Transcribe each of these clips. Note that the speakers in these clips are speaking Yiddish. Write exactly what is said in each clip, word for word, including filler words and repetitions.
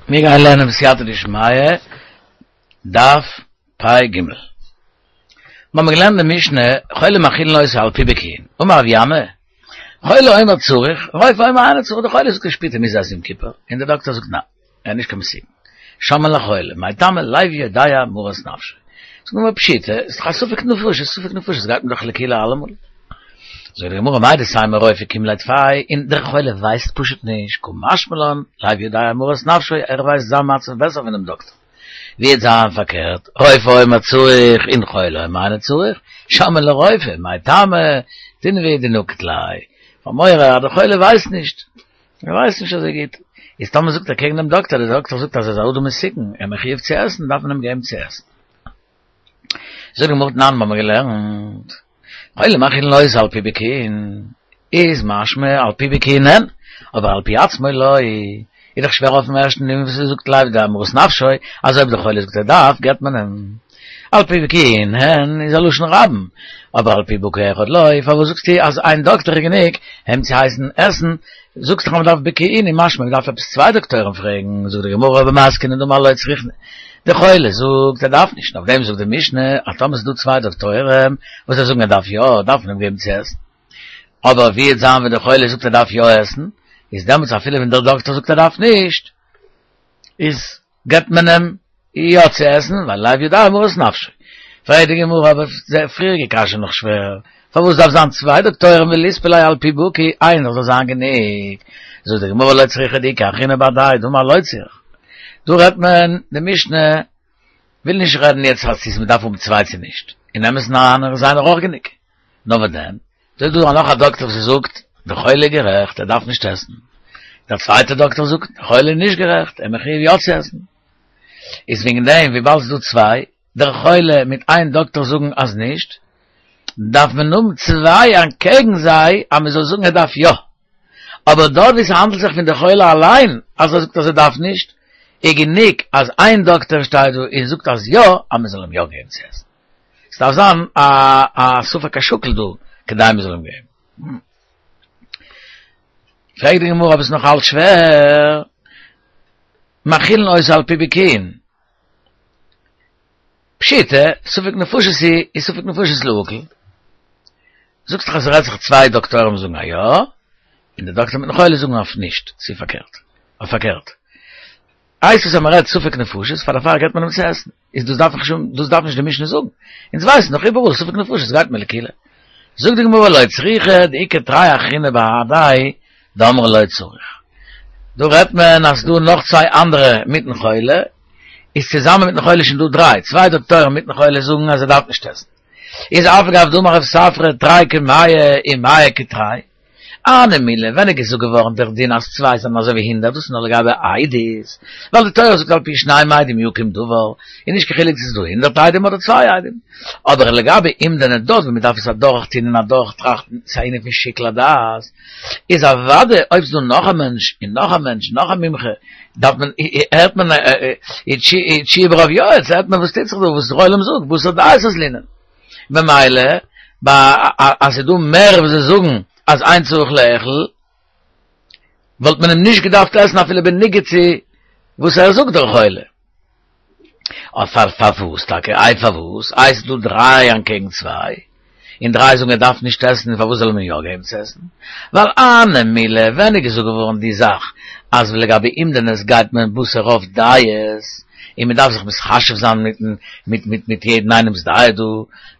מיר גייען לערנען בסייעתא דשמיא, דף פ"ג. מיר האבן געלערנט די משנה, חולה מאכילין אותו על פי בקיאין. אמר רב ינאי, חולה אומר צריך, רופא אומר אינו צריך, דער חולה זאגט ער שפירט ער מוז עסן יום כיפור, און דער דאקטער זאגט ניין, ער איז נישט קיין מסוכן. שומעין לחולה, מאי טעמא לב יודע מרת נפשו. זאגט די גמרא פשיטא, איז דאך א ספק נפשות, ספק נפשות גייט מען דאך לקולא אלעמאל. זאגט די גמרא מהו דתימא רופא קים ליה טפי, און דער חולה ווייסט פשוט נישט, קא משמע לן, לב יודע מרת נפשו, ער ווייסט זיין מצב בעסער פונעם דאקטער. ווי וועט זיין פארקערט, רופא אומר צריך און חולה אומר אינו צריך, שומעין לרופא, מאי טעמא, דינבי דנקיט ליה, פאר מורא אז דער חולה ווייסט נישט, ער ווייסט נישט אזוי גוט, איז טאמער זאגט ער קעגן דעם דאקטער, דער דאקטער זאגט אז ער איז א אדם מסוכן, ער איז מחויב צו עסן, דארף מען אים געבן צו עסן. זאגט די גמרא תנן מיר האבן געלערנט, חולה מאכילין אותו על פי בקיאין, איז משמע על פי בקיאין אין, אבער על פי עצמו לא, איז דאך שווער אויפן ערשטן דין וואס ער זאגט לב יודע מרת נפשו, אז אויב דער חולה זאגט ער דארף, געבט מען אים. על פי בקיאין הן איז א לשון רבים, אבער על פי בקי אחד לא, פארוואס זאגסטו אז איין דאקטער איז גענוג אים צו הייסן עסן, זאגסט דאך אז מען דארף בקיאין איז משמע מען דארף עפעס צוויי דאקטוירים פרעגן, זאגט די גמרא במתקינים דאמרי לא צריכנא, די חולה זאגט ער דארף נישט, אויף דעם זאגט די משנה אז טאמער ס'איז דא צוויי דאקטוירים וואס זיי זאגן ער דארף יא, דארף מען אים געבן צו עסן, אבער ווי וועט זיין ווען די חולה זאגט ער דארף יא עסן, איז דעמאלטס אפילו ווען דער דאקטער זאגט ער דארף נישט, איז געבט מען אים יא צו עסן, ווייל לב יודע מרת נפשו. פרעגט די גמרא, אבער די פריעריגע קשיא נאך שווער, פארוואס דארף זיין צוויי דאקטוירים וליספו ליה על פי בקי, איינער זאל זיין גענוג? זאגט די גמרא לא צריכא דאיכא אחרינא בהדיה דאמר לא צריך. דא רעדט מען, די משנה וויל נישט רעדן יעצט אז צו מ'דארף האבן צוויי צו נישט, אין אמת'ן אריין איז איינער אויך גענוג. נאר וואס דען? דא איז דא נאך א דאקטער וואס זאגט דער חולה איז גערעכט ער דארף נישט עסן, דער צווייטער דאקטער זאגט דער חולה איז נישט גערעכט ער איז מחויב יא צו עסן. איז וועגן דעם וויבאלד ס'איז דא צוויי, דער חולה מיט איין דאקטער זאגן אז נישט, דארף מען האבן צוויי אנטקעגן זיי אז מען זאל זאגן ער דארף יא. אבער דארט ווי ס'האנדלט זיך פון דער חולה אליין אז ער זאגט אז ער דארף נישט, איז גענוג אז איין דאקטער שטייט דא און זאגט אז יא, אז מען זאל אים יא געבן צו עסן. ס'דארף זיין א א ספק השקול דא כדי מ'זאל אים געבן. פרעגט די גמרא אבער ס'איז נאך אלץ שווער, מאכילין אותו על פי בקיאין. פשיטא, ספק נפשות היא, איז ספק נפשות להקל. זאגסט דאך אז ס'רעדט זיך צוויי דאקטוירים זאגן א יא, און די דאקטער מיטן חולה זאגן אויף נישט, צו פארקערט, אויף פארקערט. הייסט עס אז מען רעדט ספק נפשות, פאר דערפאר געבט מען אים צו עסן. איז דאס דארף איך שוין, דאס דארף נישט די משנה זאגן. אונז ווייסן דאך איבעראל ספק נפשות גייט מען לקולא. זאגט די גמרא לא צריכא דאיכא תרי אחריני בהדיה דאמרי לא צריך. דא רעדט מען אז ס'דא נאך צוויי אנדערע מיטן חולה, איז צוזאמען מיטן חולה שוין דא דריי, צוויי דאקטוירים מיטן חולה זאגן אז ער דארף נישט עסן. איז אף על גב דאמר רב ספרא תרי כמאה ומאה כתרי. הני מילי, ווען איז געזאגט געווארן דער דין אז צוויי זענען אזוי ווי הונדערט, דאס איז נאר לגבי עדות, ווייל די תורה זאגט על פי שניים עדים יקום דבר, איז נישט קיין חילוק צו ס'איז דא הונדערט עדים אדער צוויי עדים. אבער לגבי אומדנא דארט וואו מ'דארף עס אדורך טון און אדורך טראכטן, ס'איז א ענין פון שיקול הדעת, איז אוודאי אויב ס'איז דא נאך א מענטש און נאך א מענטש און נאך א מומחה, דארף מען, הערט מען, תשועה ברוב יועץ, הערט מען וואס טוט זיך דא, וואס דער עולם זאגט, בתר דעות אזלינן. ממילא ביי אז ס'איז דא מער וואס זיי זאגן אז אין צריך לאכול, וואלט מען אים נישט געדארפט עסן אפילו בניגוד צו וואס ער זאגט דער חולה. אויף פאר פארוואס טאקע? איי פארוואס? איי ס'איז דא דריי אנטקעגן צוויי, און דריי זאגן ער דארף נישט עסן, און פארוואס זאל מען יא געבן צו עסן? ווייל הני מילי, ווען איז געזאגט געווארן די זאך אז לגבי אומדנות גייט מען בתר רוב דעות, און מען דארף זיך מתחשב זיין מיטן מיט מיט מיט יעדן איינעמס דעה דא,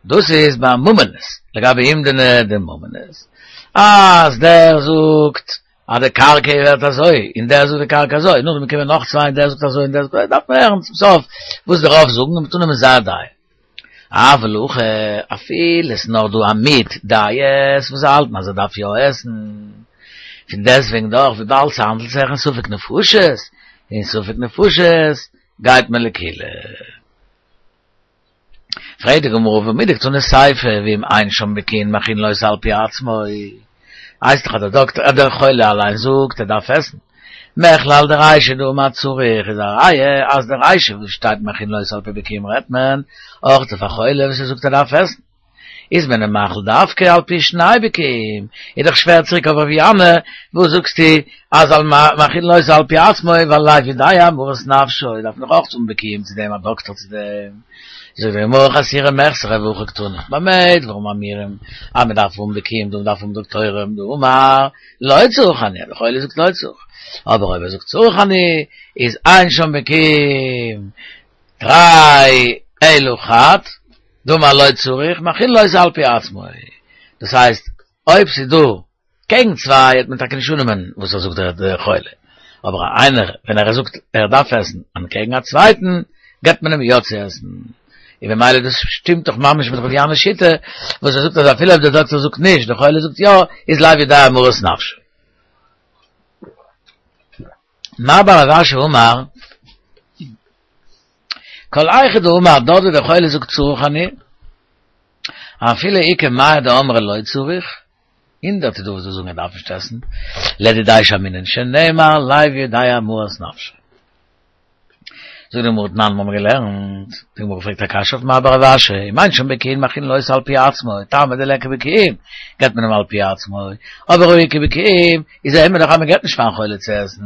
דאס איז ביי ממונות, לגבי אומדנא דממונות, אז דער זאגט אז די קרקע איז ווערט אזוי, און דער זאגט די קרקע אזוי, נאכדעם קומען נאך צוויי און דער זאגט אזוי און דער זאגט אזוי, דארף מען הערן צום סוף וואס די רוב זאגן און מ'טאר נעמען זייער דעה. אבל הכא, אפילו עס איז נאר דא א מיעוט דעות וואס זיי האלטן אז ער דארף יא עסן, פון דעסטוועגן דאך וויבאלד ס'האנדלט זיך אין ספק נפשות, אין ספק נפשות גייט מען לקולא. פרעגט די גמרא והא מדקתני סיפא ואם אין שם בקיאין מאכילין אותו על פי עצמו, הייסט דאך אז דער דאקטער אז דער חולה אליין זאגט ער דארף עסן, מכלל דרישא דאמר צריך איז א ראיה אז די רישא וואס שטייט מאכילין אותו על פי בקיאים רעדט מען אויך אויף א חולה וואס ער זאגט ער דארף עסן. איז מען אים מאכיל דווקא על פי שני בקיאים, איז דאך שווער צוריק אויף רב ינאי, וואס זאגסטו אז על מאכילין אותו על פי עצמו, ווייל לאו יודע מרת נפשו, דארף מען דאך אויך האבן בקיאים צו דעם, א דאקטאר צו דעם. זאגט די גמרא חסורי מחסרא והכי קתני, במה דברים אמורים, אז מען דארף האבן בקיאים דא מען דארף האבן דאקטוירים דאמר לא צריך אני, דער חולה זאגט לא צריך, אבער אויב ער זאגט צריך אני, איז אין שם בקיאים תרי אלא חד, דאמר לא צריך, מאכילין אותו על פי עצמו. דאס הייסט, אויב ס'איז דא קעגן צוויי וועט מען טאקע נישט אננעמען וואס ער זאגט דער חולה, אבער איינער ווען ער זאגט ער דארף עסן אנטקעגן א צווייטן, געבט מען אים יא צו עסן. און במילא דאס שטימט דאך ממש מיט ר' ינאי'ס שיטה, וואס ער זאגט אז אפילו אויב דער דאקטער זאגט נישט, דער חולה זאגט יא, איז לאו יודע מרת נפשו. מר בר רב אשי אמר, כל היכא דאמר דארט ווי דער חולה זאגט צריך אני, אפילו איכא מאה דאמרי לא צריך, הונדערט איז דא וואס זאגן ער דארף נישט עסן, לדידיה שמעינן שנאמר לאו יודע מרת נפשו. זאגט די גמרא תנן מיר האבן געלערנט, די גמרא פרעגט א קשיא אויף מר בר רב אשי, אם אין שם בקיאין מאכילין אותו על פי עצמו, טעמא דליכא בקיאים, געבט מען אים על פי עצמו, אבער הא איכא בקיאים, איז זעהן מיר דאך אז מען געבט נישט פארן חולה צו עסן,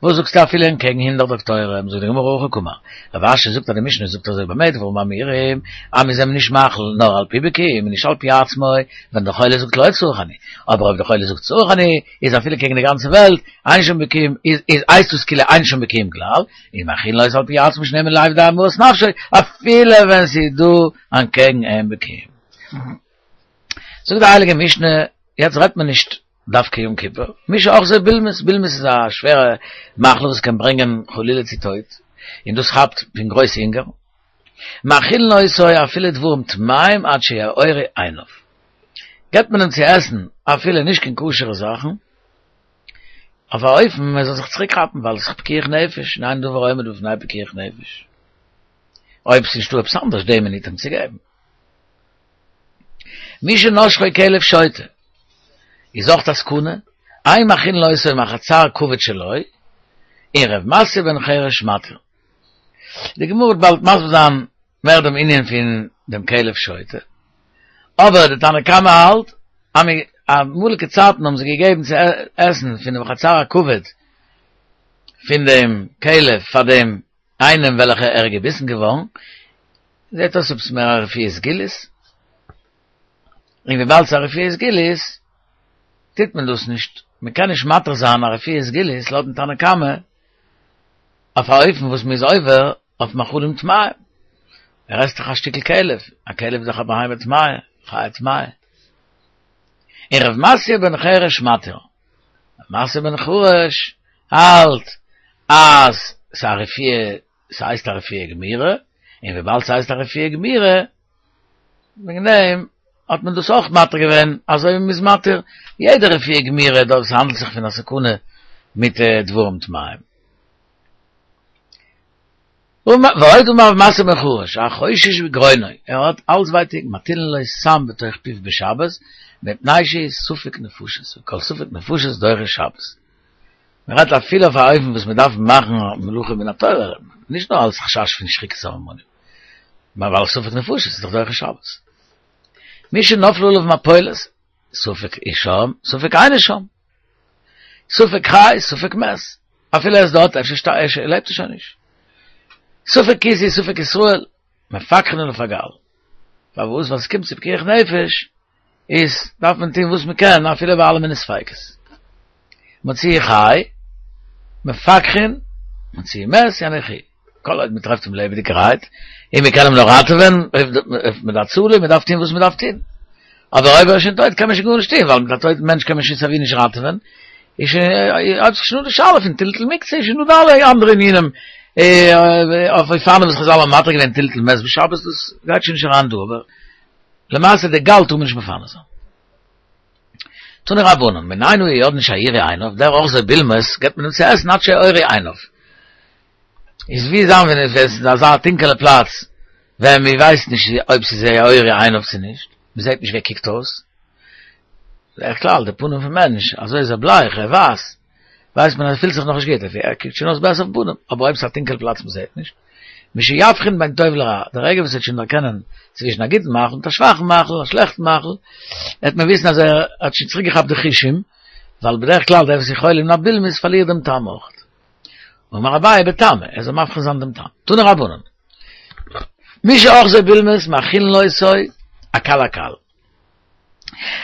וואס זאגסטו אפילו אנטקעגן הונדערט דאקטוירים, זאגט די גמרא הכי קאמר, רב אשי זאגט אז די משנה זאגט אזוי במה דברים אמורים, אז מ'איז אים נישט מאכיל נאר על פי בקיאים און נישט על פי עצמו, ווען דער חולה זאגט לא צריך אני, אבער אויב דער חולה זאגט צריך אני, איז אפילו קעגן די גאנצע וועלט, אין שם בקיאים, איז איז הייסט דאס כאילו אין שם בקיאים כלל, און מאכילין אותו על פי עצמו שנאמר לאו יודע מרת נפשו, אפילו ווען ס'איז דא אנטקעגן אים בקיאים. זאגט די הייליגע משנה, יעצט רעדט מען נישט דווקא יום כיפור, מי שאחזו בולמוס, בולמוס איז א שווערע מחלה וואס קען ברענגען חלילה צו טויט, און דאס כאפט פון גרויס הונגער, מאכילין אותו אפילו דברים טמאים עד שיאורו עיניו, געבט מען אים צו עסן אפילו נישט קיין כשר'ע זאכן, אויף א אופן ער זאל זיך צוריק כאפן ווייל עס איז פיקוח נפש, און אין דבר העומד בפני פיקוח נפש, אויב ס'איז נישטא עפעס אנדערש די מינוט אים צו געבן. מי שנשכו כלב שוטה, איז אויך א סכנה, אין מאכילין אותו מחצר כבד שלו, און ר' מתיא בן חרש מתיר. די גמרא וועט באלד מסביר זיין מער דעם ענין פון דעם כלב שוטה, אבער די תנא קמא האלט אז אמאליגע צייטן האבן זיי געגעבן צו עסן פון דעם חצר הכבד פון דעם כלב פאר דעם איינעם וועלכע ער איז געביסן געווארן, זעט אויס עפעס מער א רפואה סגולית, און וויבאלד ס'איז א רפואה סגולית טוט מען דאס נישט, מען קען נישט מתיר זיין א רפואה סגולית לויטן תנא קמא אויף א אופן וואס מען איז עובר אויף מאכלים טמאים, ער עסט דאך א שטיקל כלב, א כלב איז דאך א בהמה טמאה, חיה טמאה. און ר' מתיא בן חרש מתיר, ר' מתיא בן חרש האלט אז ס'איז א רפואה, ס'הייסט א רפואה גמירה, און וויבאלד ס'הייסט א רפואה גמירה, וועגן דעם האט מען דאס אויך מתיר געווען, אזוי ווי מ'איז מתיר יעדע רפואה גמירה דארט וואס האנדלט זיך פון א סכנה מיט דברים טמאים. ועוד אמר ר' מתיא בן חרש, החושש בגרונו, ער האט האלז ווייטאג, מטילין לו סם בתוך פיו בשבת, מפני שהוא ספק נפשות, וכל ספק נפשות דוחה שבת. מען רעדט אפילו אויף א אופן וואס מען דארף מאכן מלאכה מן התורה, נישט נאר אלס חשש פון שחיקת סממנים, נאר ווייל ספק נפשות איז דאך דוחה שבת. מי שנפלה עליו מפולת, ספק איז שם, ספק אינו שם. ספק חי, ספק מת. אפילו ער איז דארט, אפשר לעבט ער שוין נישט. ספק כוזי, ספק ישראל, מפקחין עליו הגל. פארוואס? ווייל ס'קומט צו פיקוח נפש, איז דארף מען טון וואס מען קען אפילו ביי אלע מיני ספיקות. מציאו חי, מפקחין, מציאו מת, יניחוהו. כל עוד מען טרעפט אים לעבעדיגערהייט, און מען קען אים נאך ראטעווען, מיט הצלה, מען דארף טון וואס מען דארף טון. אבער אויב ער איז שוין טויט קען מען שוין גארנישט טון, ווייל מיט א טויטן מענטש קען מען שוין סייווי נישט ראטעווען. איז שוין, האט זיך שוין אן די שאלה פון טלטול מוקצה, איז שוין דא די אלע אנדערע ענינים, אויף אופנים וואס חזל האבן מתיר געווען טלטול מת בשבת, דאס גייט שוין נישט אריין דא, אבער למעשה די גל טאר מען נישט מפנה זיין. תנו רבנן, מנין אנו יודעין שיאורו עיניו, דער אוחזו בולמוס געבט מען אים צו עסן עד שיאורו עיניו. איז ווי זיין ווען עס איז אזא טונקעלע פלאץ ווען מען ווייסט נישט אויב ס'איז יאורו עיניו צו נישט, מען זעט נישט ווי ער קוקט אויס. בדרך כלל די פנים פון מענטש, אזוי איז ער בלייך, ער ווייס, ווייסט מען אז ער פילט זיך נאכנישט גוט, ער קוקט שוין אויס בעסער אויפן פנים, אבער אויב ס'איז א טונקעל פלאץ מען זעט נישט, משיבחין בין טוב לרע, דער רגע וואס ער וועט שוין דערקענען צווישן א גוטן מאכל מיט א שוואכן מאכל, א שלעכטן מאכל, וועט מען וויסן אז ער האט שוין צוריקגעכאפט די חושים, ווייל בדרך כלל דער וואס איז חולה מן הבולמוס פארלירט דעם טעם אויך. אמר אביי בטעמא, ער זאל מבחין זיין דעם טעם. תנו רבנן. מי שאחזו בולמוס מאכילין אותו הקל הקל.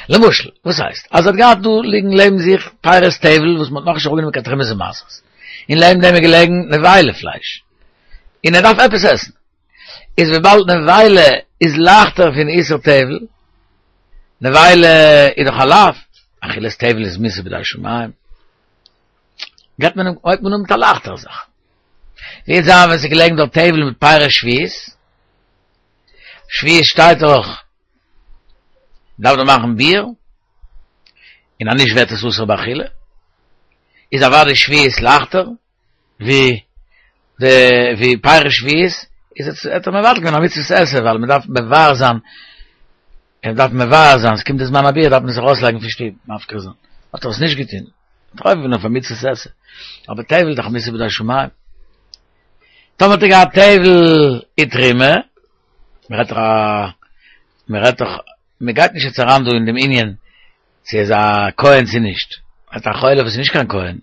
למשל, וואס הייסט? אז ער האט געהאט דא ליגן לעבן זיך פירות טבל וואס מ'האט נאכנישט אראפגענומען קיין תרומות ומעשרות. און לעבן דעם איז געלעגן נבילה פלייש. און ער דארף עפעס עסן. איז וויבאלד נבילה איז לייכטער פון איסור טבל, נבילה איז דאך א לאו, אכילת טבל איז מיתה בידי שמים, געבט מען אים, הויבט מען אן מיט א לייכטערע זאך. ווי וועט זיין ווען ס'איז געלעגן דארט טבל מיט פירות שביעית, שביעית שטייט דאך, דארף מען מאכן ביעור, און אז נישט ווערט עס אסור באכילה, איז אוודאי שביעית לייכטער, ווי די ווי פירות שביעית איז עס האט ער מבטל געווען א מצוות עשה ווייל מען דארף מבער זיין מען דארף מבער זיין עס קומט די זמן הביעור דארף מען זיך ארויסלייגן פון שטוב מפקיר זיין האט ער עס נישט געטון האט ער עובר געווען אויף א מצוות עשה אבער טבל איז דאך א מצוה בידי שמים טאמער האט ער געהאט טבל ותרומה מען רעדט דאך א מען רעדט דאך מען גייט נישט יעצט אריין דא אין דעם ענין צו ער איז א כהן צו נישט, האט א חולה וואס איז נישט קיין כהן,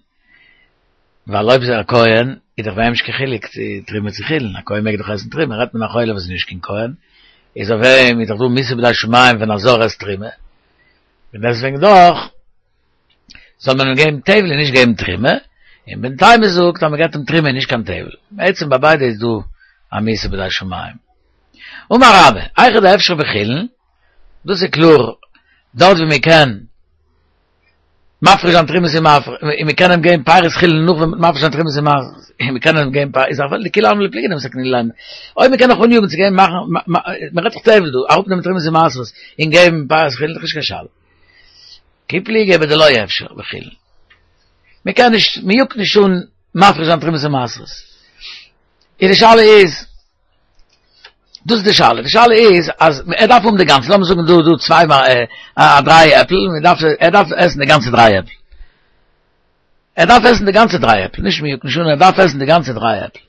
ווייל אויב איז ער א כהן איז דאך ביי אים נישט קיין חילוק צו תרומה צו חולין, א כהן מעג דאך עסן תרומה, רעדט מען א חולה וואס איז נישט קיין כהן, איז אויף אים איז דאך דא מיתה בידי שמים ווען א זר עסט תרומה, און דעסוועגן דאך זאל מען אים געבן טבל און נישט געבן תרומה, און בן תימא זאגט אז מען געבט אים תרומה און נישט קיין טבל, בעצם ביי ביידע איז דא א מיתה בידי שמים. אמר רבה, היכא דאפשר בחולין, דאס איז קלאר, דארט ווי מען קען מפריש זיין תרומות און און מען קען אים געבן פירות חולין נאך ווען מ'האט מפריש זיין תרומות און און מען קען אים געבן פירות איז אפילו לכולי עלמא לא פליגי דמתקנינן ליה אויב מען קען נאך אניאגן צו געבן מאכן מען רעדט דאך טבל דא אראפנעמען תרומות און מעשרות און געבן פירות חולין איז דאך נישט קיין שאלה כי פליגי בדלא אפשר בחולין מען קען נישט מען יאגט נישט אן מפריש זיין תרומות און מעשרות איז די שאלה איז דאס איז די שאלה, די שאלה איז אז ער דארף האבן די גאנצע, לאמיר זאגן דא דא צוויי א דריי עפל, מען דארף ער דארף עסן די גאנצע דריי עפל, ער דארף עסן די גאנצע דריי עפל, נישט מ'יאגט נישט אן, ער דארף עסן די גאנצע דריי עפל,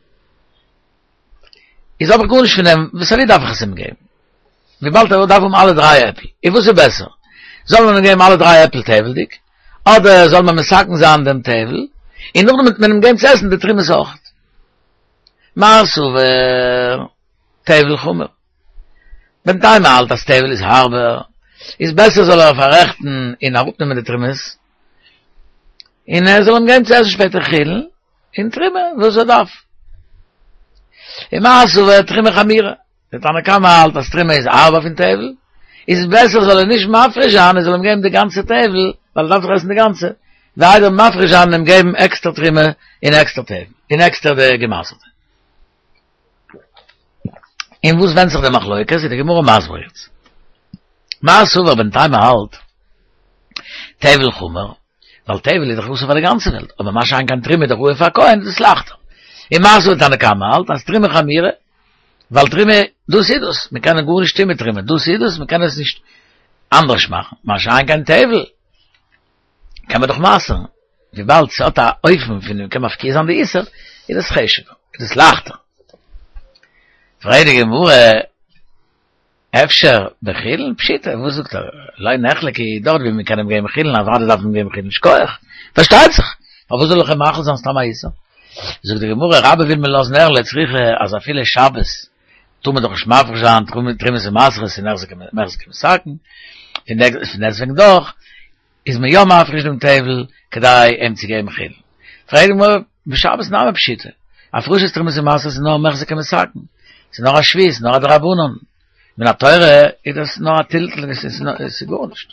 איז האב איך גארנישט פון דעם, וואס סייווי דארף איך עס אים געבן, וויבאלד ער דארף האבן אלע דריי עפל, איז וואס איז בעסער, זאל מען אים געבן אלע דריי עפל טבל'דיג, אדער זאל מען מתקן זיין דעם טבל, און נאכדעם וועט מען אים געבן צו עסן די תרומות אויך. מר סבר טבל חמור. בן תימא האלט אז טבל איז הארבער, איז בעסער זאל ער פאררעכטן און אראפנעמען די תרומות, און ער זאל אים געבן צו עסן שפעטער חולין און תרומה וואס ער דארף. און מר סבר תרומה חמירא. דער תנא קמא האלט אז תרומה איז הארבער פון טבל, איז בעסער זאל ער נישט מפריש זיין ער זאל אים געבן די גאנצע טבל, ווייל ער דארף דאך עסן די גאנצע, ווי איידער מפריש זיין און אים געבן עקסטער תרומה און עקסטער טבל, און עקסטער די געמעשר'טע. אין וואס ווענדט זיך די מחלוקת, איז די גמרא מסביר יעצט. מר סבר בן תימא האלט טבל חמור, ווייל טבל איז דאך אסור פאר די גאנצע וועלט, אבער מה שאין כן תרומה איז דאך ראוי פאר א כהן, איז דאס לייכטער. און מר סבר תנא קמא האלט אז תרומה חמירא, ווייל תרומה, דאס איז דאס, מען קען גארנישט טון מיט תרומה, דאס איז דאס, מען קען עס נישט אנדערש מאכן, מה שאין כן טבל, קען מען דאך מעשר'ן, וויבאלד ס'האט א אופן פון מען קען מפקיע זיין די איסור, איז דאס חשוב'ער, איז דאס לייכטער. פרעגט די גמרא, אפשר בחולין? פשיטא, וואס זאגט ער? לא נחלקו, דארט ווי מען קען אים געבן חולין, אוודאי דארף מען געבן חולין, שכוח, פארשטייט זיך, פארוואס זאל איך אים מאכיל זיין סתם א איסור? זאגט די גמרא, רבה וויל מיר לאזן הערן לא צריכא אז אפילו שבת טאר מען דאך נישט מפריש זיין תרומות ומעשרות און מחזיק ומתקן, פון דעסטוועגן דאך איז מען יא מפריש דעם טבל כדי אים צו געבן חולין. פרעגט די גמרא, בשבת נמי פשיטא, הפרשת תרומות ומעשרות איז נאר מחזיק ומתקן, ס'איז נאר א שבות, נאר א דרבנן, מן התורה איז דאס נאר א טלטול, עס איז גארנישט.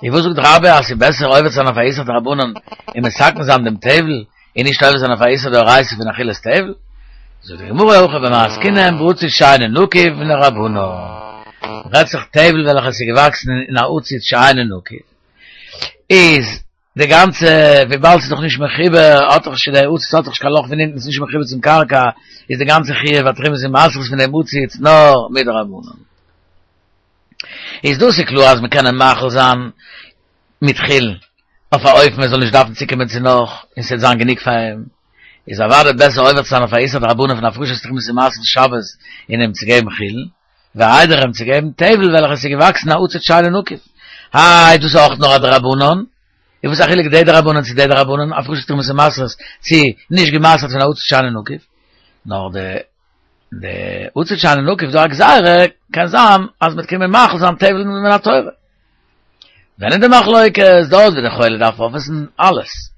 און וואס זאגט רבה אז ס'איז בעסער עובר צו זיין אויף א איסור דרבנן און מתקן זיין דעם טבל, און נישט עובר זיין אויף א איסור דאורייתא פון אכילת טבל? זאגט די גמרא הכא במאי עסקינן בעציץ שאינו נקוב מדרבנן. רעדט זיך טבל וועלכע עס איז געוואקסן אין א עציץ שאינו נקוב, איז די גאנצע, וויבאלד ס'איז דאך נישט מחובר, האט דאך נישט, דער עציץ האט דאך נישט קיין לאך פון אונטן, ס'איז נישט מחובר צום קרקע, איז די גאנצע חיוב התרומות ומעשרות פון דעם עציץ נאר מדרבנן. איז דאס איז קלאר אז מ'קען אים מאכיל זיין מיט חולין, אויף א אופן ער זאל נישט דארפן צוקומען צו נאך, און ס'וועט זיין גענוג פאר אים. איז אוודאי בעסער עובר צו זיין אויף א איסור דרבנן פון הפרשת תרומות ומעשרות שבת און אים צו געבן חולין, ווי איידער אים צו געבן טבל וועלכע עס איז געוואקסן א עציץ שאינו נקוב. איי, דאס איז אויך נאר א דרבנן? איז וואס א חילוק די דרבנן צו די דרבנן, הפרשת תרומות ומעשרות צו נישט געמעשרט פון א עציץ שאינו נקוב? נאר די די עציץ שאינו נקוב דא א גזירה, קען זיין אז מ'וועט קומען מאכיל זיין טבל מן התורה. ווען איז די מחלוקת? דארט ווי די חולה דארף אויפעסן אלעס.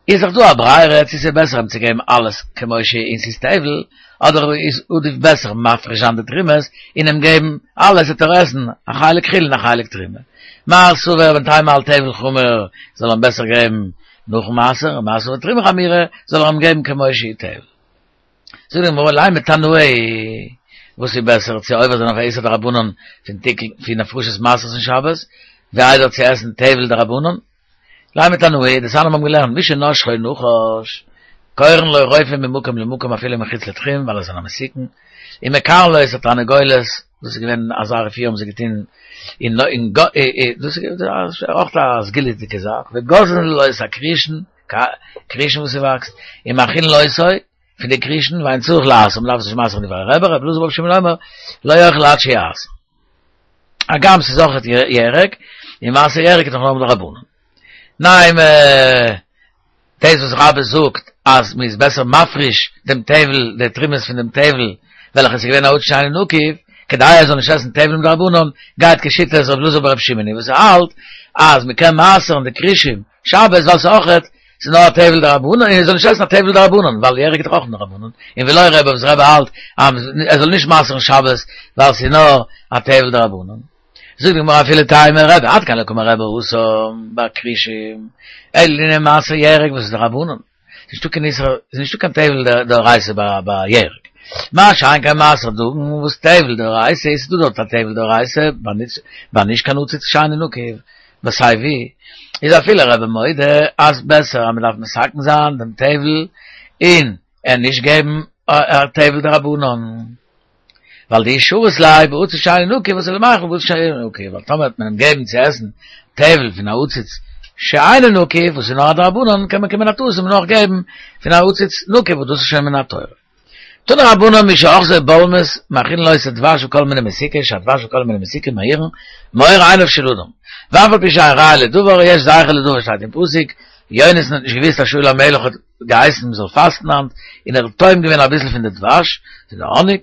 איז דאך דא א ברירה צו ס'איז בעסער אים צו געבן אלעס כמו שהיא און ס'איז טבל, אדער איז עדיף בעסער מפריש זיין די תרומות און אים געבן אלעס וועט ער עסן א חלק חולין און א חלק תרומה. מר סבר בינתיים האלט טבל חמור זאל ער אים בעסער געבן נאכן מעשר, און מר סבר תרומה חמורה זאל ער אים געבן כמו שהיא טבל. זאגט די גמרא לימא תנאי, וואס איז בעסער צו עובר זיין אויף א איסור דרבנן פון תיקון פון הפרשת מעשרות אין שבת, ווי איידער צו עסן טבל דרבנן? לימא תנאי, דתניא האבן געלערנט מי שנשכו נחש, קורין לו רופא ממקום למקום אפילו מחוץ לתחום ווייל עס איז א מסוכן, ומקרעין לו את התרנגולת, דאס איז געווען אזא רפואה האבן זיי געטון אין אין דאס איז אויך א סגולה'דיגע זאך, וגוזזין לו את הכרישין, כרישין וואס ס'וואקסט, ומאכילין אותו, פון די כרישין, ואין צריך לעשר, מ'דארף עס נישט מעשר'ן דברי רבי, רבי אלעזר ברבי שמעון אומר, לא יאכל עד שיעשר. הגם ס'איז אויך ירק, און מעשר ירק איז דאך נאר מדרבנן. ניין, דאס וואס רבה זאגט אז מ'איז בעסער מפריש דעם טבל, די תרומות פון דעם טבל, וועלכע איז געווען א עציץ שאינו נקוב, כדי ער זאל נישט עסן טבל מדרבנן, גייט כשיטת רבי אלעזר ברבי שמעון וואס האלט אז מ'קען מעשר'ן די כרישים שבת ווייל ס'איז אויכעט ס'איז נאר א טבל דרבנן און ער זאל נישט עסן א טבל דרבנן ווייל ירק איז דאך אויך דרבנן און ולא רבי וואס רבי האלט אז ער זאל נישט מעשר'ן שבת ווייל ס'איז נאר א טבל דרבנן. זאגט די גמרא אפילו תימא רבי עד כאן לא קאמר רבי התם בכרישים אלא לענין מעשר ירק וואס איז דרבנן ס'איז נישטא קיין איסור ס'איז נישטא קיין טבל דאורייתא ביי ירק מה שאין כן מעשר דגן וואס טבל דאורייתא איז דא דארט א טבל דאורייתא ביי נישט קיין עציץ שאינו נקוב וסיי ווי איז אפילו רבי מודה אז בעסער אז מ'דארף מתקן זיין דעם טבל און אים נישט געבן א טבל דרבנן ווייל דאי שרית ליה בעציץ שאינו נקוב אתי למיכל בעציץ שאינו נקוב ווייל טאמער וועט מען אים געבן צו עסן טבל פון א עציץ שאינו נקוב וואס איז נאר א דרבנן קען מען קומען א טעות און נאך געבן פון א עציץ נקוב וואס דאס איז שוין מן התורה. תנו רבנן מי שאחזו בולמוס מאכילין אותו דבש וכל מיני מתיקה שהדבש וכל מיני מתיקה מאירין מאור עיניו של אדם ואף על פי שאין ראיה לדבר יש זכר לדבר שטייט אין פסוק יונתן האט נישט געוויסט אז שאול המלך האט געהייסן מען זאל פאסטן היינט און ער האט טועם געווען אביסל פון די דבש פון די האניג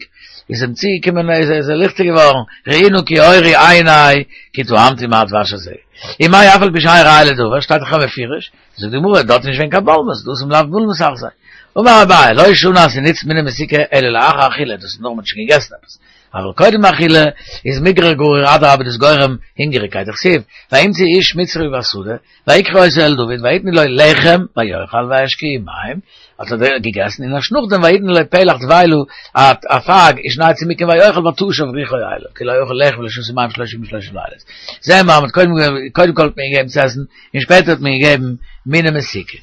איז אים צוגעקומען איז ער ליכטיג געווארן ראי נא כי אורו עיני כי טעמתי מה הדבש הזה ומאי אף על פי שאין ראיה לדבר שטייט דאך מפורש זאגט די גמרא דארט איז נישט געווען קיין בולמוס דהתם לאו בולמוס אחזיה אמר אביי, לא שנו אז ס'נוצט מיני מתיקה אלא לאחר אכילה, דאס איז נאר מ'האט שוין געגעסן עפעס, אבל קודם אכילה איז מיגרא גריר אדרבה דאס גורם הונגעריגקייט, דכתיב, וימצאו איש מצרי בשדה, ויקחו אותו אל דוד ויתנו לו לחם ויאכל וישקהו מים, האט ער געגעסן און ערשט נאכדעם ויתנו לו פלח דבילה א פייג ושני צימוקים ויאכל ותשב רוחו אליו, כי לא אכל לחם ולא שתה מים שלושה ימים ושלושה לילות. זעהן מיר אז מ'האט קודם כל האט מען געגעבן צו עסן און שפעטער האט מען געגעבן מיני מתיקה.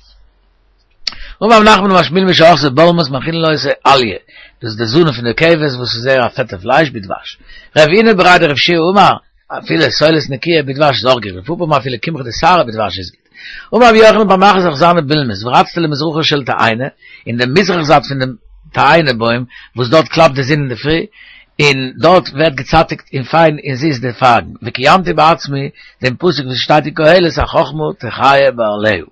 אמר רב נחמן אמר שמואל מי שאחזו בולמוס מאכילין אותו אליה, דאס איז די זנב פון די כבש וואס איז זייער א פעטע פלייש בדבש. רב הונא בריה דרב יהושע אמר, אפילו סולת נקיה בדבש איז אויך גוט, רב פפא אמר אפילו קמחא דשערי בדבש איז גוט. אמר רבי יוחנן פעם אחת אחזני בולמוס ורצתי למזרחה של תאנה, אין דעם מזרח זייט פון דעם תאנה בוים וואס דארט קלאפט די זון אינדערפרי, און דארט ווערט געצייטיגט און פיין און זיס די פייגן, וקיימתי בעצמי דעם פסוק וואס שטייט אין קהלת החכמה תחיה בעליה.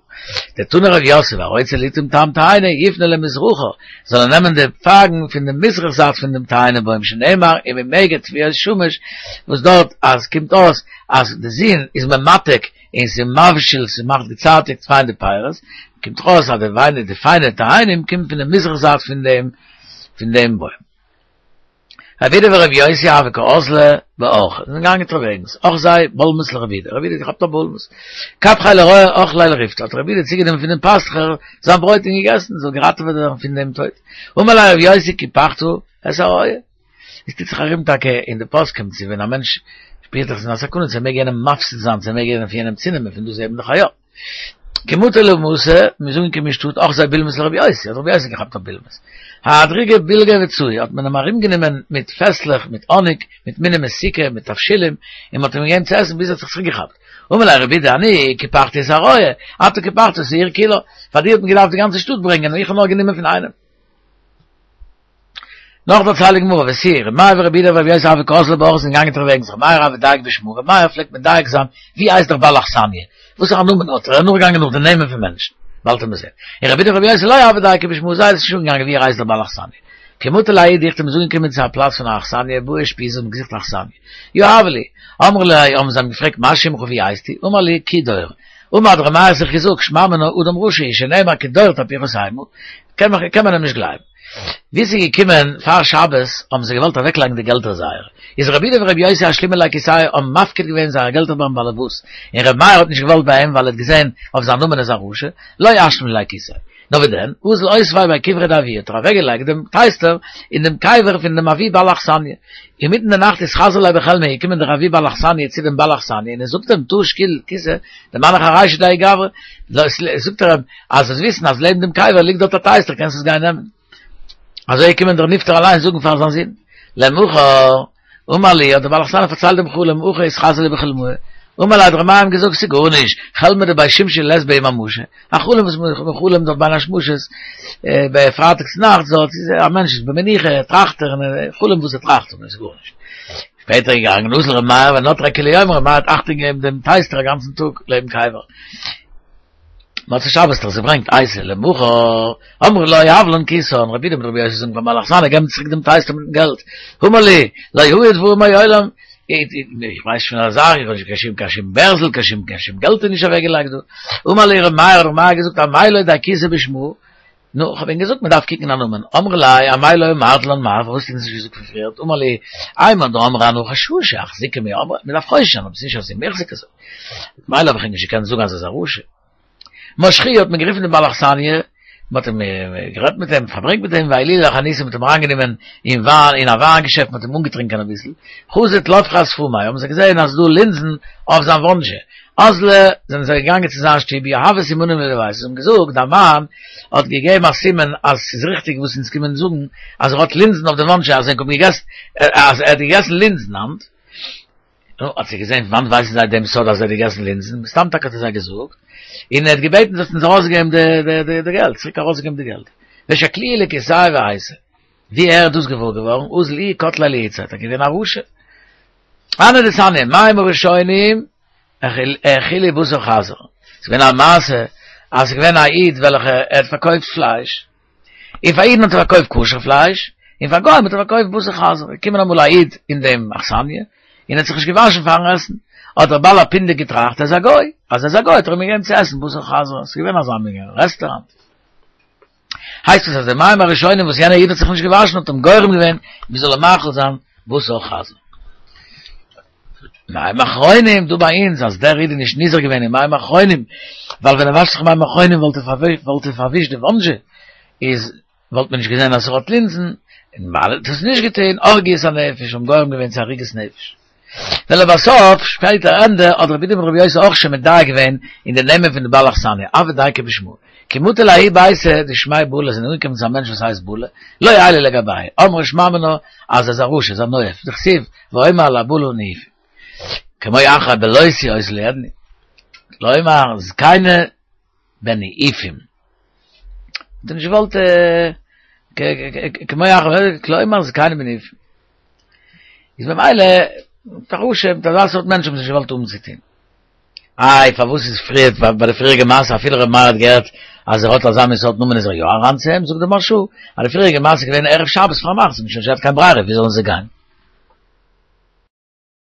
דתני רב יוסף הרוצה לטעום טעם תאנה יפנה למזרחה, זאל ער נעמען די פייגן פון די מזרח זייט פון דעם תאנה בוים שנאמר וממגד תבואות שמש, וואס דארט אז קומט אויס אז די זון איז ממתק און ס'איז מבשיל ס'מאכט געצייטיגט פיין די פירות, קומט דאך אויס אז די וויין די פיינע תאנים קומט פון די מזרח זייט פון דעם פון דעם בוים. רב אידי ורב יוסי הוו קאזלי באורחא, זיי זענען געגאנגען אונטערוועגנס, אחזיה בולמוס לרב אידי, רב אידי האט געכאפט א בולמוס, קפחיה לרועה אכליה לריפתא, האט רב אידי צוגענומען פון דעם פאסטוכער זיין ברויט און געגעסן, זאל געראטעוועט ווערן פון דעם טויט. אמר ליה רב יוסי קיפחת את הרועה. עס טוט זיך ארום טאקע אין די פוסקים צו ווען א מענטש שפירט זיך אין א סכנה צו ער מעג יענעם מפסיד זיין צו ער מעג יענעם פון יענעם צונעמען פון דא זעט מען דאך א יא. כי מטו למתא, מ'איז אנגעקומען אין שטאט, אחזוה בולמוס לרבי יוסי, האט רבי יוסי געכאפט א בולמוס. אהדרינהו בילגא וצועי, האט מען אים ארומגענומען מיט פעסלעך, מיט האניג, מיט מיני מתיקה, מיט תבשילים, און מ'האט אים געגעבן צו עסן ביז ער האט זיך צוריקגעכאפט. אמר ליה רבי אידי אני קיפחתי את ארעא, אתה קיפחת את העיר כולה, פאר דיר האט מען געדארפט די גאנצע שטאט ברענגען און איך האב נאר גענומען פון איינעם. נאך דערציילט די גמרא, ותו, ר' מאיר ורבי אידי ורבי יוסי הוו קאזלי באורחא זענען געגאנגען אונטערוועגנס, ר' מאיר הוה דייק בשמא, ר' מאיר פלעגט מדייק זיין ווי הייסט דער בעל אכסניא, וואסערע נאמען האט ער, ער איז נאכגעגאנגען נאך די נעמען פון מענטשן, באלד וועט מען זען, און רבי אידי ורבי יוסי לא הוו דייקי בשמא, זיי איז נישט אנגעגאנגען ווי ער הייסט דער בעל אכסניא. כי מטו לההוא דוכתא מ'איז אנגעקומען צו א פלאץ פון א אכסניא, בעו אושפיזא האבן געזוכט אכסניא. יהבו להו. אמרו ליה האבן זיי אים געפרעגט מה שמך ווי הייסטו? אמר להו כידור. אמר האט ר' מאיר זיך געזאגט שמע מינה אדם רשע הוא שנאמר כדור תהפוכות המה, קען מען אים נישט גלייבן. ווי ס'איז געקומען פאר שבת האבן זיי געוואלט אוועקלייגן די געלטער זייערע, איז רבי אידי ורבי יוסי אשלימו ליה כיסייהו האבן מפקיד געווען זייער געלטער ביים באלעבאס, און ר' מאיר האט נישט געוואלט ביי אים ווייל ער האט געזען אויף זיין נאמען איז א רשע, לא אשלים ליה כיסיה. נאר ווי דען, אזל אותביה בי קברא דאבוה האט ער אוועקגעלייגט דעם טייסטער אין דעם קבר פון דעם אבי בעל אכסניא. אינמיטן די נאכט אתחזי ליה בחלמיה איז געקומען דער אבי בעל אכסניא צו דעם בעל אכסניא און ער זאגט אים תא שקיל כיסא דמנח ארישא דהאי גברא, זאגט ער אים אז זאלסט וויסן אז לעבן דעם קבר ליגט דארט א טייסטער קענסט עס גיין נעמען. אזוי איז געקומען דער נפטר אליין זאגן פאר זיין זון למחר אמר להו האט דער בעל אכסניא פארציילט דעם חלום הכי אתחזי לי בחלמאי אמר ליה האט ר' מאיר אים געזאגט ס'איז גארנישט חלמא דבי שמשי לית בהו ממשא א חלום וואס מען חלומ'ט דארט בין השמשות ביי פרייטאג צונאכטס דארט איז א מענטש איז במנוחה ער טראכט ער און חלום וואס ער טראכט און איז גארנישט שפעטער געגאנגען אזל ר' מאיר ונטריה כולי יומא ר' מאיר האט אכטונג געגעבן דעם טייסטער א גאנצן טאג לעבן קבר. מוצאי שבת האט ער עס געברענגט אייתי למחר, אמרו לו הב לן כיסן, רבי אידי מיט רבי יוסי זאגן פארן בעל אכסניא געב צוריק דעם טייסטער מיטן געלט, אמר להו, לא היו דברים מעולם, איך ווייס נישט פון אזא זאך, איך האב נישט קיין שום קיין שום בערזל, קיין שום קיין שום געלט איז נישט אוועק געלייגט דא, אמר להו רבי מאיר האט רבי מאיר געזאגט אמאי לא דייקתו בשמא, נו, איך האב ענק געזאגט מען דארף קוקן א נאמען, אמרי ליה אמאי לא אמרת לן מר, פארוואס האסטו אונז נישט געזאגט פון פריער, אמר להו, אימר דאמרי אנא חששא, אחזוקי מי אמרי, מען דארף חושש זיין אבער ס'איז נישט אזוי מוחזק אזוי. מילא האב איך ענק נישט געקענט זאגן אז ער איז א רשע. משכוהו האט מען גערופן דעם בעל אכסניא, מען האט אים גערעדט מיט אים, פארברענגט מיט אים, ועיילוהו לחנותא, מען האט אים אריינגענומען אין וויין, אין א וויין געשעפט, מען האט אים אנגעטרינקען אביסל, חזו טלפחי אשפמיה, האבן זיי געזען אז ס'איז דא לינזן אויף זיין וואנזשע, אזלו, זענען זיי געגאנגען צו זיין שטוב, יהבו סימנים לדביתהו, זיי האבן געזאגט, דיין מאן האט געגעבן א סימן אז ס'איז ריכטיג וואס אונז קומען זאגן, אז ער האט לינזן אויף די וואנזשע, אז ענק האבן געגעסן, אז ער האט געגעסן לינזן היינט. נו, האט זי געזען, פון וואנט ווייסן זיי דעם סוד אז ער האט געגעסן לינזן? מסתם טאקע האט ער זיי געזאגט, און ער האט געבעטן זאלסט אונז ארויסגעבן די די געלט, צוריק ארויסגעבן די געלט. ושקלוהו לכיסייהו ואייתו. ווי ער איז דאס געוואר געווארן, אזל איהו קטליה לאיתתיה, ער איז געווען א רשע. הני דתניא, מים הראשונים האכילו בשר חזיר. ס'איז געווען א מעשה אז ס'איז געווען א איד וועלכע ער האט פארקויפט פלייש, און פאר אידן האט ער פארקויפט כשר פלייש, און פאר גוים האט ער פארקויפט בשר חזיר. איז געקומען אמאל א איד אין דעם אכסניא, און האט זיך נישט געוואשן פארן עסן. האט דער בעל הפונדק געטראכט ער איז א גוי, אז ער איז א גוי האט ער אים געגעבן צו עסן בשר חזיר. ס'איז געווען אזא מין רעסטעראנט. הייסט עס אז די מים הראשונים וואס יענער איד האט זיך נישט געוואשן האט אים גורם געווען מען זאל אים מאכיל זיין בשר חזיר. מים אחרונים דא ביי אונז אז דער איד איז נישט נזהר געווען אין מים אחרונים ווייל ווען ער וואשט זיך מים אחרונים וואלט ער וואלט ער פארווישט די וואנזשע איז וואלט מען נישט געזען אז ער האט לינזן און ווייל ער האט עס נישט געטון הרגו את הנפש האבן גורם געווען צו הריגת נפש. ולבסוף, שפעטער ענדע, האט רבי אידי מיט רבי יוסי אויך שוין מדייק געווען אין די נעמען פון די בעל אכסניא, הוו דייקי בשמא. כי מטו לההוא ביתא דשמיה בלה זענען אנגעקומען צו א מענטש וואס הייסט בלה, לא עיילו לגביה, אמרי שמע מינה אז ער איז א רשע, איז א נואף, דכתיב ואומר אל הבלה נאופים. כמו אחר בלותי אותה לא ידעני. כלומר זקנה בניאופים. האט ער נישט געוואלט כמו אחר כלומר זקנה בניאופים. איז במילא מיט א רשע מיט אזא סארט מענטש האבן זיי נישט געוואלט האבן צו טון. איי פארוואס איז פריער ביי די פריעריגע מעשה אפילו ר' מאיר האט געהערט אז ער האט אזא מין סארט נאמען איז ער יא אריין צו אים, זאגט די מהרש"א אז די פריעריגע מעשה איז געווען ערב שבת פארנאכטס, זיי האבן שוין נישט געהאט קיין ברירה ווי זאלן זיי גיין.